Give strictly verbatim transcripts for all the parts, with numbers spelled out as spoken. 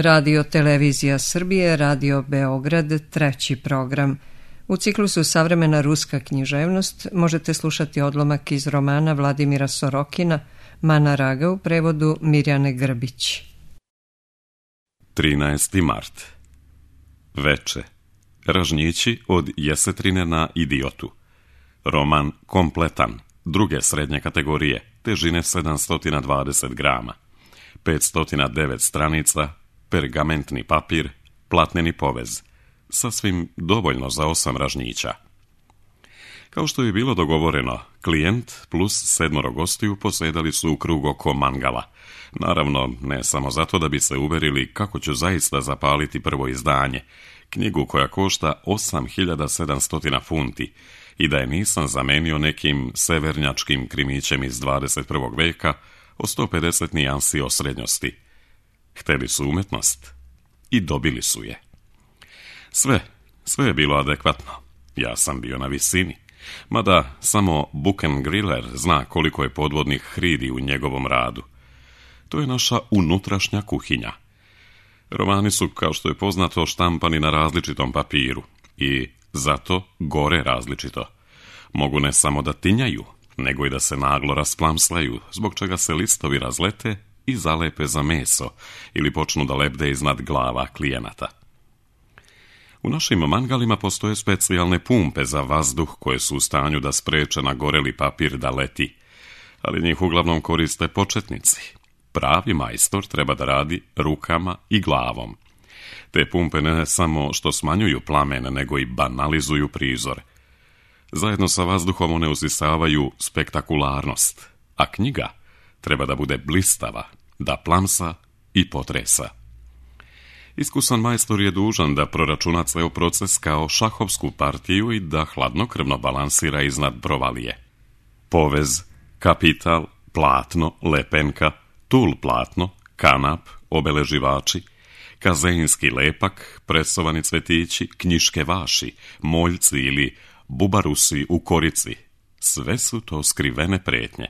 Radio Televizija Srbije, Radio Beograd, treći program. U ciklusu Savremena ruska književnost možete slušati odlomak iz romana Vladimira Sorokina Mana Raga u prevodu Mirjane Grbić. trinaesti mart. Veče. Ražnjići od Jesetrine na Idiotu. Roman kompletan, druge srednje kategorije, težine sedamsto dvadeset grama. petsto devet stranica, pergamentni papir, platneni povez. Sasvim dovoljno za osam ražnjića. Kao što je bilo dogovoreno, klijent plus sedmoro gostiju posedali su u krug oko mangala. Naravno, ne samo zato da bi se uverili kako ću zaista zapaliti prvo izdanje, knjigu koja košta osam hiljada sedamsto funti, i da je nisam zamenio nekim severnjačkim krimićem iz dvadeset prvog veka o sto pedeset nijansi osrednjosti. Hteli su umetnost i dobili su je. Sve, sve je bilo adekvatno. Ja sam bio na visini. Mada samo Buchengriller zna koliko je podvodnih hridi u njegovom radu. To je naša unutrašnja kuhinja. Romani su, kao što je poznato, štampani na različitom papiru i zato gore različito. Mogu ne samo da tinjaju, nego i da se naglo rasplamslaju, zbog čega se listovi razlete i zalepe za meso ili počnu da lebde iznad glava klijenata. U našim mangalima postoje specijalne pumpe za vazduh koje su u stanju da spreče na goreli papir da leti, ali njih uglavnom koriste početnici. Pravi majstor treba da radi rukama i glavom. Te pumpe ne samo što smanjuju plamen, nego i banalizuju prizor. Zajedno sa vazduhom one usisavaju spektakularnost, a knjiga treba da bude blistava, da plamsa i potresa. Iskusan majstor je dužan da proračuna ceo proces kao šahovsku partiju i da hladnokrvno balansira iznad provalije. Povez, kapital, platno, lepenka, tul platno, kanap, obeleživači, kazeinski lepak, presovani cvetići, knjiške vaši, moljci ili bubarusi u korici. Sve su to skrivene pretnje,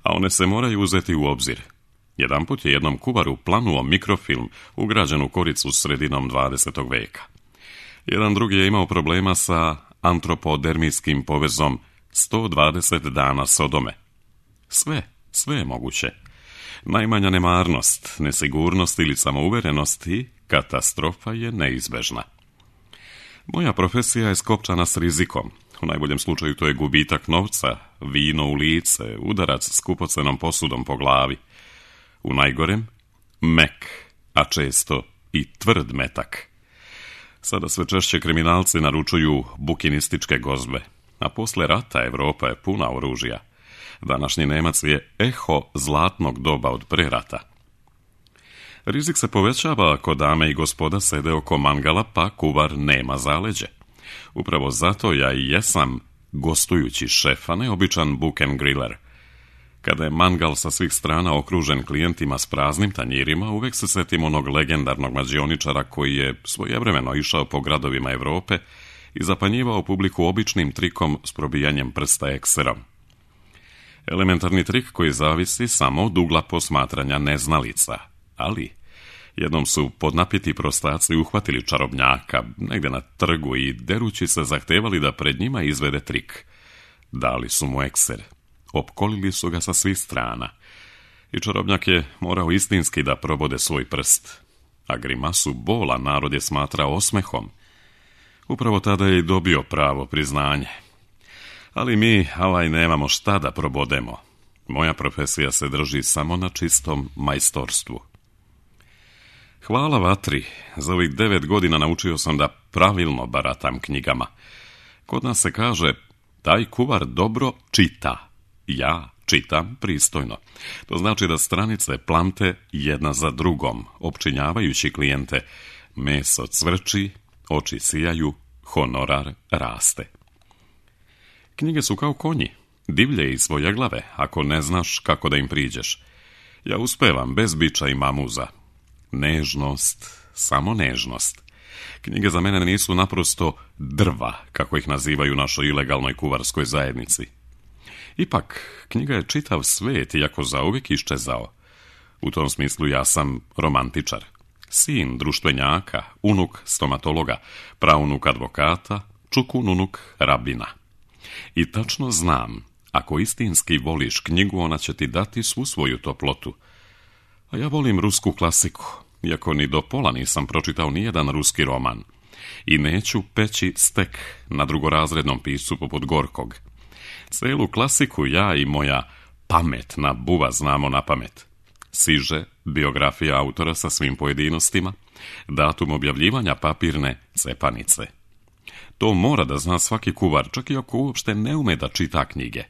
a one se moraju uzeti u obzir. Jedanput je jednom kuvaru planuo mikrofilm ugrađen u koricu sredinom dvadesetog veka. Jedan drugi je imao problema sa antropodermijskim povezom sto dvadeset dana Sodome. Sve, sve je moguće. Najmanja nemarnost, nesigurnost ili samouverenost i katastrofa je neizbežna. Moja profesija je skopčana s rizikom. U najboljem slučaju to je gubitak novca, vino u lice, udarac skupocenom posudom po glavi. U najgorem, mek, a često i tvrd metak. Sada sve češće kriminalci naručuju bukinističke gozbe, a posle rata Evropa je puna oružja. Današnji Nemac je eho zlatnog doba od pre rata. Rizik se povećava ako dame i gospoda sede oko mangala, pa kuvar nema zaleđe. Upravo zato ja i jesam gostujući šef, a ne običan Buchengriller. Kada je mangal sa svih strana okružen klijentima s praznim tanjirima, uvek se setim onog legendarnog mađioničara koji je svojevremeno išao po gradovima Evrope i zapanjivao publiku običnim trikom s probijanjem prsta ekserom. Elementarni trik koji zavisi samo od ugla posmatranja neznalica, ali jednom su podnapiti prostaci uhvatili čarobnjaka negde na trgu i derući se zahtevali da pred njima izvede trik. Dali su mu ekser, opkolili su ga sa svih strana i čarobnjak je morao istinski da probode svoj prst, a grimasu bola narod je smatrao osmehom. Upravo tada je i dobio pravo priznanje. Ali mi, alaj, nemamo šta da probodemo. Moja profesija se drži samo na čistom majstorstvu. Hvala vatri, za ovih devet godina naučio sam da pravilno baratam knjigama. Kod nas se kaže, taj kuvar dobro čita. Ja čitam pristojno. To znači da stranice plamte jedna za drugom, opčinjavajući klijente. Meso cvrči, oči sijaju, honorar raste. Knjige su kao konji, divlje i svojeglave, ako ne znaš kako da im priđeš. Ja uspevam bez biča i mamuza. Nežnost, samo nežnost. Knjige za mene nisu naprosto drva, kako ih nazivaju u našoj ilegalnoj kuvarskoj zajednici. Ipak, knjiga je čitav svet, iako zauvijek iščezao. U tom smislu ja sam romantičar. sin društvenjaka, unuk stomatologa, praunuk advokata, čukun unuk rabina. I tačno znam, ako istinski voliš knjigu, ona će ti dati svu svoju toplotu. A ja volim rusku klasiku, iako ni do pola nisam pročitao nijedan ruski roman. I neću peći stek na drugorazrednom piscu poput Gorkog. Celu klasiku ja i moja pametna buva znamo na pamet. Siže, biografija autora sa svim pojedinostima, datum objavljivanja papirne cepanice. To mora da zna svaki kuvar, čak i ako uopšte ne ume da čita knjige.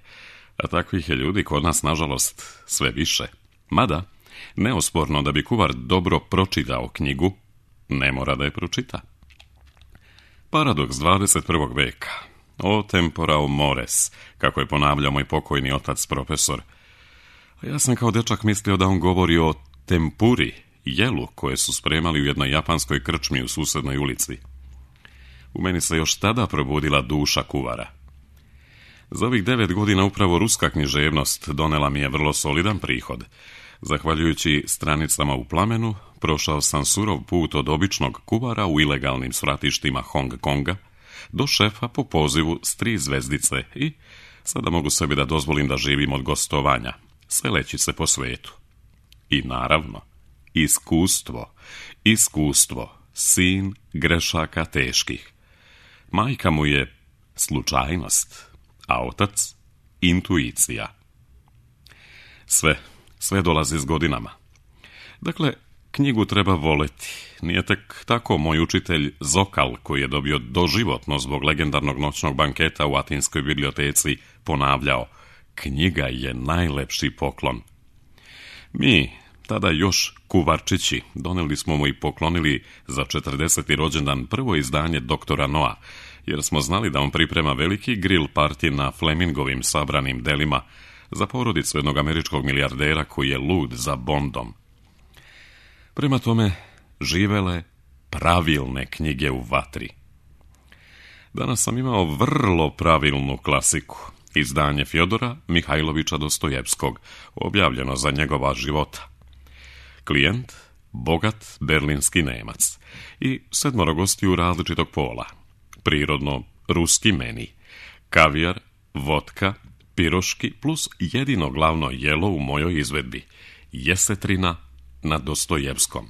A takvih je ljudi kod nas, nažalost, sve više. Mada, neosporno da bi kuvar dobro pročitao knjigu, ne mora da je pročita. Paradoks dvadeset prvog veka. O tempora o mores, kako je ponavljao moj pokojni otac profesor. A ja sam kao dečak mislio da on govori o tempuri, jelu koje su spremali u jednoj japanskoj krčmi u susednoj ulici. U meni se još tada probudila duša kuvara. Za ovih devet godina upravo ruska književnost donela mi je vrlo solidan prihod. Zahvaljujući stranicama u Plamenu, prošao sam surov put od običnog kuvara u ilegalnim svratištima Hong Konga do šefa po pozivu s tri zvezdice i sada mogu sebi da dozvolim da živim od gostovanja, seleći se po svetu. I naravno, iskustvo, iskustvo, sin grešaka teških. Majka mu je slučajnost, a otac intuicija. Sve, sve dolazi s godinama. Dakle, knjigu treba voleti. Nije tek tako moj učitelj Zokal, koji je dobio doživotno zbog legendarnog noćnog banketa u Atinskoj biblioteci, ponavljao: knjiga je najlepši poklon. Mi, tada još kuvarčići, doneli smo mu i poklonili za četrdeseti rođendan prvo izdanje doktora Noa, jer smo znali da on priprema veliki grill party na Flemingovim sabranim delima za porodicu jednog američkog milijardera koji je lud za Bondom. Prema tome, živele pravilne knjige u vatri. Danas sam imao vrlo pravilnu klasiku, izdanje Fjodora Mihajlovića Dostojevskog, objavljeno za njegova života. Klijent, bogat berlinski Nemac i sedmoro gostiju različitog pola. Prirodno ruski meni, kavijar, vodka, piroški plus jedino glavno jelo u mojoj izvedbi, jesetrina na Dostojevskom.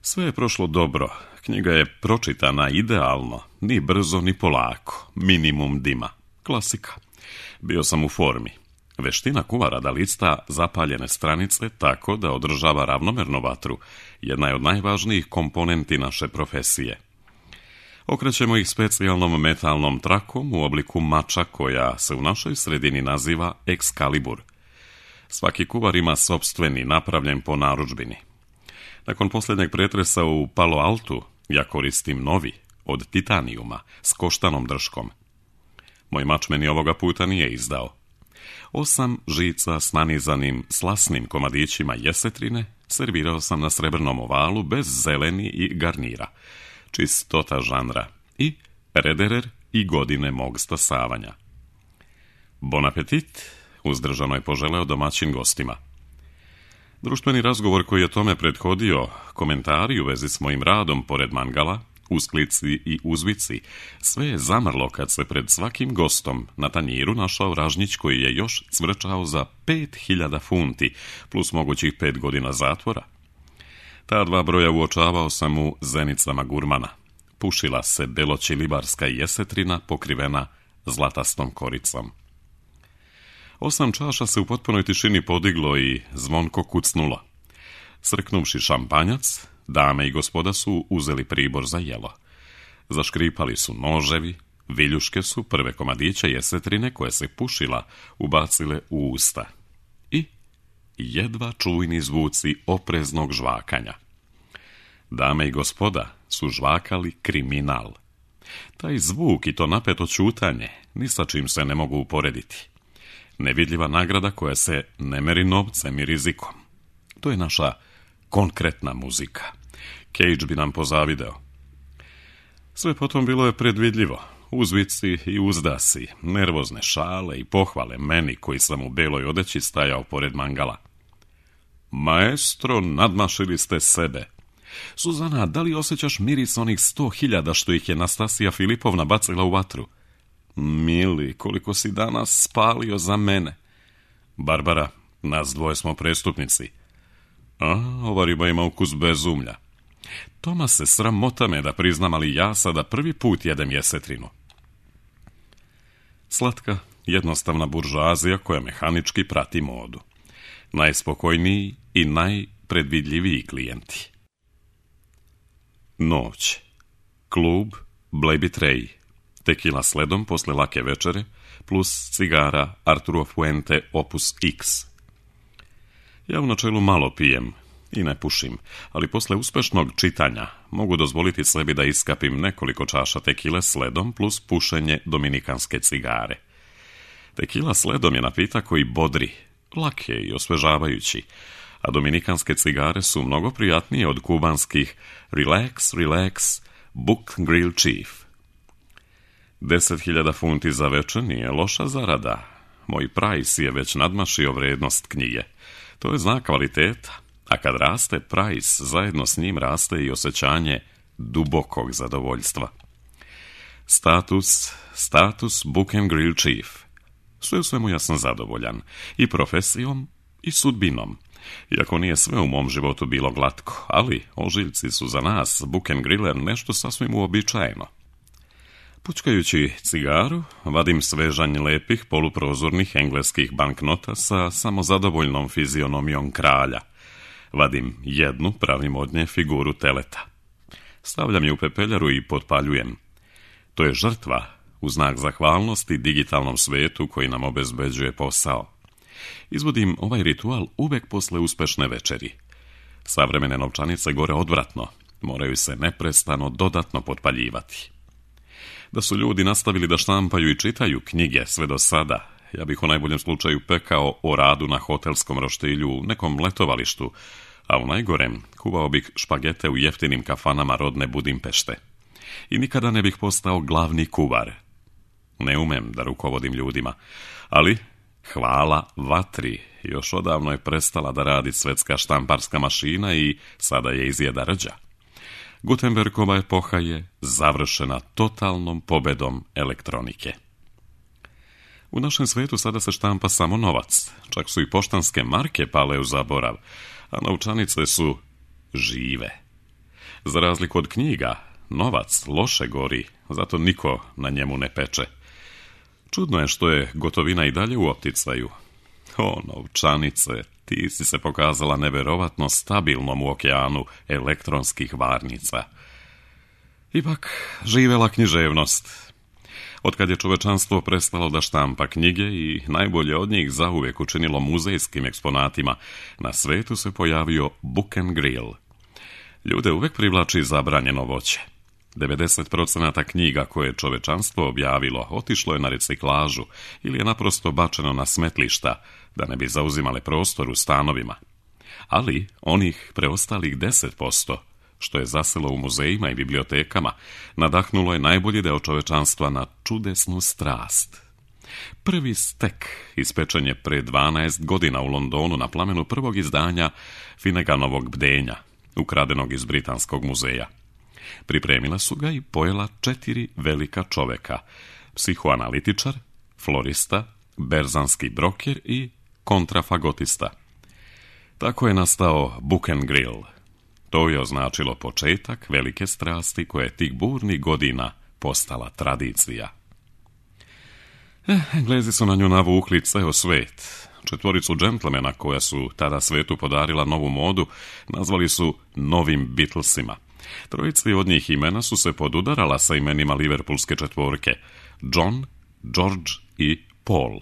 Sve je prošlo dobro, knjiga je pročitana idealno, ni brzo ni polako, minimum dima, klasika. Bio sam u formi. Veština kuvara da lista zapaljene stranice tako da održava ravnomernu vatru, jedna je od najvažnijih komponenti naše profesije. Okrećemo ih specijalnom metalnom trakom u obliku mača koja se u našoj sredini naziva Excalibur. Svaki kuvar ima sopstveni, napravljen po narudžbini. Nakon posljednjeg pretresa u Palo Altu, ja koristim novi, od titanijuma, s koštanom drškom. Moj mač meni ovoga puta nije izdao. Osam žica s nanizanim slasnim komadićima jesetrine servirao sam na srebrnom ovalu bez zeleni i garnira. Čistota žanra i rederer i godine mog stasavanja. Bon apetit, uzdržano je poželeo domaćin gostima. Društveni razgovor koji je tome prethodio, komentari u vezi s mojim radom pored mangala, usklici i uzvici, sve je zamrlo kad se pred svakim gostom na tanjiru našao ražnjić koji je još cvrčao za pet hiljada funti, plus mogućih pet godina zatvora. Ta dva broja uočavao sam u zenicama gurmana. Pušila se beloćilibarska jesetrina pokrivena zlatastom koricom. Osam čaša se u potpunoj tišini podiglo i zvonko kucnulo. Srknuvši šampanjac, dame i gospoda su uzeli pribor za jelo. Zaškripali su noževi, viljuške su prve komadiće jesetrine koje se pušila ubacile u usta. I jedva čujni zvuci opreznog žvakanja. Dame i gospoda su žvakali kriminal. Taj zvuk i to napeto ćutanje ni sa čim se ne mogu uporediti. Nevidljiva nagrada koja se ne meri novcem i rizikom. To je naša konkretna muzika. Cage bi nam pozavideo. Sve potom bilo je predvidljivo. Uzvici i uzdasi, nervozne šale i pohvale meni koji sam u beloj odeći stajao pored mangala. Maestro, nadmašili ste sebe. Suzana, da li osjećaš miris onih sto hiljada što ih je Nastasija Filipovna bacila u vatru? Mili, koliko si danas spalio za mene. Barbara, nas dvoje smo prestupnici. A, ova riba ima ukus bezumlja. Toma se sramota me da priznam, ali ja sada prvi put jedem jesetrinu. Slatka, jednostavna buržoazija koja mehanički prati modu. Najspokojniji i najpredvidljiviji klijenti. Noć. Klub Blejbi Trej. Tekila sledom posle lake večere, plus cigara Arturo Fuente Opus X. Ja u načelu malo pijem i ne pušim, ali posle uspešnog čitanja mogu dozvoliti sebi da iskapim nekoliko čaša tekile sledom plus pušenje dominikanske cigare. Tekila sledom je napitak koji bodri, lak je i osvežavajući, a dominikanske cigare su mnogo prijatnije od kubanskih Relax, Relax, Book Grill Chief. Deset hiljada funti za večer nije loša zarada. Moj price je već nadmašio vrednost knjige. To je znak kvaliteta, a kad raste price, zajedno s njim raste i osjećanje dubokog zadovoljstva. Status, status Book and Grill Chief. Sve u svemu ja sam zadovoljan, i profesijom, i sudbinom. Iako nije sve u mom životu bilo glatko, ali ožiljci su za nas, Book and Griller, nešto sasvim uobičajeno. Pučkajući cigaru, vadim svežanj lepih poluprozornih engleskih banknota sa samozadovoljnom fizionomijom kralja. Vadim jednu, pravim od nje figuru teleta. Stavljam je u pepeljaru i potpaljujem. To je žrtva u znak zahvalnosti digitalnom svetu koji nam obezbeđuje posao. Izvodim ovaj ritual uvek posle uspešne večeri. Savremene novčanice gore odvratno, moraju se neprestano dodatno potpaljivati. Da su ljudi nastavili da štampaju i čitaju knjige sve do sada, ja bih u najboljem slučaju pekao o radu na hotelskom roštilju u nekom letovalištu, a u najgorem kuvao bih špagete u jeftinim kafanama rodne Budimpešte. I nikada ne bih postao glavni kuvar. Ne umem da rukovodim ljudima, ali hvala vatri, još odavno je prestala da radi svetska štamparska mašina i sada je izjeda rđa. Gutenbergova epoha je završena totalnom pobedom elektronike. U našem svetu sada se štampa samo novac, čak su i poštanske marke pale u zaborav, a novčanice su žive. Za razliku od knjiga, novac loše gori, zato niko na njemu ne peče. Čudno je što je gotovina i dalje u opticaju. O, novčanice, ti si se pokazala neverovatno stabilnom u okeanu elektronskih varnica. Ipak, živela književnost. Otkad je čovečanstvo prestalo da štampa knjige i najbolje od njih zauvijek učinilo muzejskim eksponatima, na svetu se pojavio Book and Grill. Ljude uvek privlači zabranjeno voće. devedeset posto knjiga koje je čovečanstvo objavilo otišlo je na reciklažu ili je naprosto bačeno na smetlišta, da ne bi zauzimale prostor u stanovima. Ali onih preostalih deset posto, što je zaselo u muzejima i bibliotekama, nadahnulo je najbolji deo čovečanstva na čudesnu strast. Prvi stek ispečen je pre dvanaest godina u Londonu na plamenu prvog izdanja Finneganovog bdenja, ukradenog iz Britanskog muzeja. Pripremila su ga i pojela četiri velika čoveka, psihoanalitičar, florista, berzanski broker i kontrafagotista. Tako je nastao Book and Grill. To je označilo početak velike strasti koja je tih burnih godina postala tradicija. Eh, Englezi su na nju navukli ceo svet. Četvoricu džentlmena koja su tada svetu podarila novu modu nazvali su novim Beatlesima. Trojici od njih imena su se podudarala sa imenima liverpulske četvorke, John, George i Paul.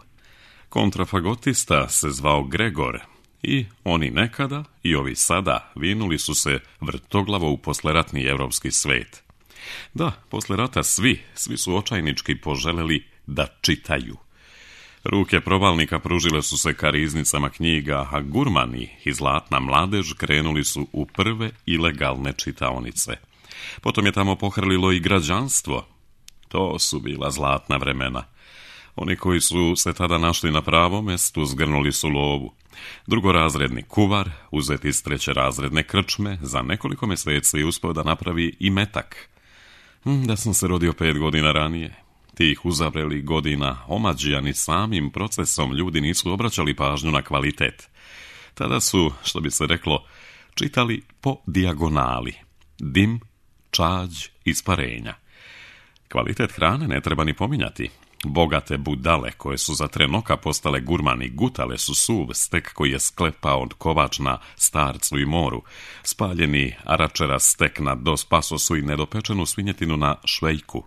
Kontrafagotista se zvao Gregor i oni nekada i ovi sada vinuli su se vrtoglavo u posleratni evropski svet. Da, posle rata svi, svi su očajnički poželeli da čitaju. Ruke provalnika pružile su se ka riznicama knjiga, a gurmani i zlatna mladež krenuli su u prve ilegalne čitaonice. Potom je tamo pohrlilo i građanstvo. To su bila zlatna vremena. Oni koji su se tada našli na pravom mjestu zgrnuli su lovu. Drugorazredni kuvar, uzet iz treće razredne krčme, za nekoliko mjeseci uspio da napravi i metak. Da sam se rodio pet godina ranije, tih uzavrelih godina omađijani samim procesom ljudi nisu obraćali pažnju na kvalitet. Tada su, što bi se reklo, čitali po dijagonali. Dim, čađ, isparenja. Kvalitet hrane ne treba ni pominjati. Bogate budale koje su za tren oka postale gurmani gutale su suv stek koji je sklepao od kovač na starcu i moru, spaljeni aračera stek na dos pasosu i nedopečenu svinjetinu na švejku.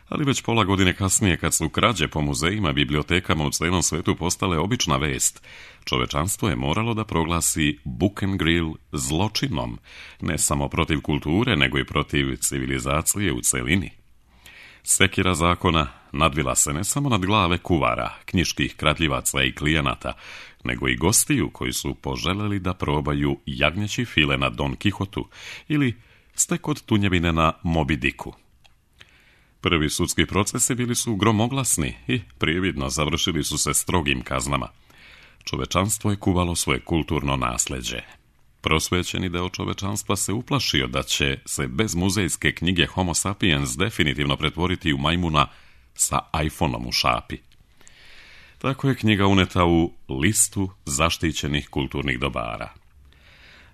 Ali već pola godine kasnije, kad su krađe po muzejima i bibliotekama u cijelom svetu postale obična vest, čovečanstvo je moralo da proglasi Bucengrill zločinom, ne samo protiv kulture, nego i protiv civilizacije u celini. Sekira zakona nadvila se ne samo nad glave kuvara, knjiških kradljivaca i klijenata, nego i gostiju koji su poželjeli da probaju jagnjeći file na Don Kihotu ili stek od tunjevine na Moby Dicku. Prvi sudski procesi bili su gromoglasni i prividno završili su se strogim kaznama. Čovečanstvo je kuvalo svoje kulturno nasljeđe. Prosvećeni deo čovečanstva se uplašio da će se bez muzejske knjige Homo sapiens definitivno pretvoriti u majmuna sa iPhoneom u šapi. Tako je knjiga uneta u listu zaštićenih kulturnih dobara.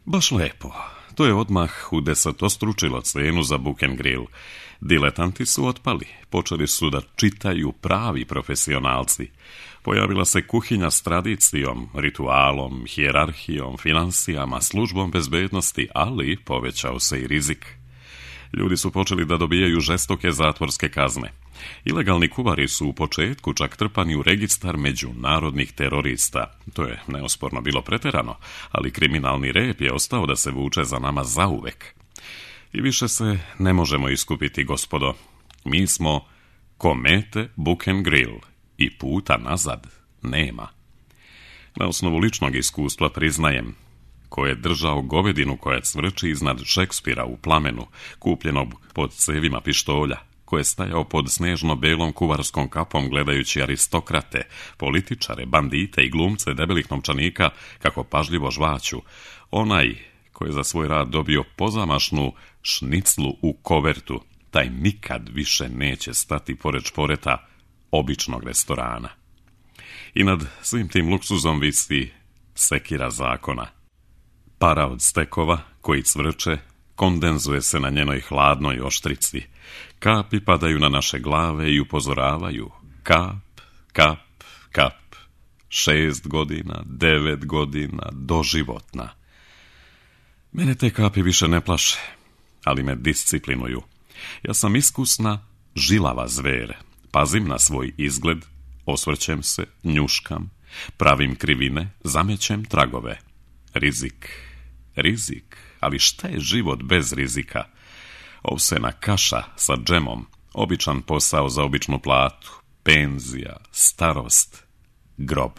Baš lepo. To je odmah udesetostručilo cenu za Bucengrill. Diletanti su otpali, počeli su da čitaju pravi profesionalci. Pojavila se kuhinja s tradicijom, ritualom, hijerarhijom, financijama, službom bezbednosti, ali povećao se i rizik. Ljudi su počeli da dobijaju žestoke zatvorske kazne. Ilegalni kuvari su u početku čak trpani u registar međunarodnih terorista. To je neosporno bilo preterano, ali kriminalni rep je ostao da se vuče za nama zauvek. I više se ne možemo iskupiti, gospodo. Mi smo komete Bucengrill i puta nazad nema. Na osnovu ličnog iskustva priznajem, ko je držao govedinu koja cvrči iznad Šekspira u plamenu, kupljenog pod cevima pištolja, ko je stajao pod snežno-belom kuvarskom kapom gledajući aristokrate, političare, bandite i glumce debelih novčanika kako pažljivo žvaću, onaj ko je za svoj rad dobio pozamašnu šniclu u kovertu, taj nikad više neće stati pored šporeta običnog restorana. I nad svim tim luksuzom visi sekira zakona. Para od stekova koji cvrče kondenzuje se na njenoj hladnoj oštrici. Kapi padaju na naše glave i upozoravaju. Kap, kap, kap. Šest godina, devet godina, doživotna. Mene te kapi više ne plaše, ali me disciplinuju. Ja sam iskusna, žilava zver. Pazim na svoj izgled, osvrćem se, njuškam, pravim krivine, zamećem tragove. Rizik, rizik, ali šta je život bez rizika? Ovsena kaša sa džemom, običan posao za običnu platu, penzija, starost, grob.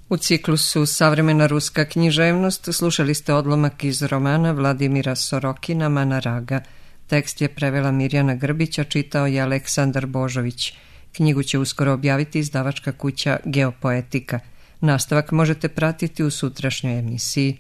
U ciklusu Savremena ruska književnost slušali ste odlomak iz romana Vladimira Sorokina Mana Raga. Tekst je prevela Mirjana Grbića, čitao je Aleksandar Božović. Knjigu će uskoro objaviti izdavačka kuća Geopoetika. Nastavak možete pratiti u sutrašnjoj emisiji.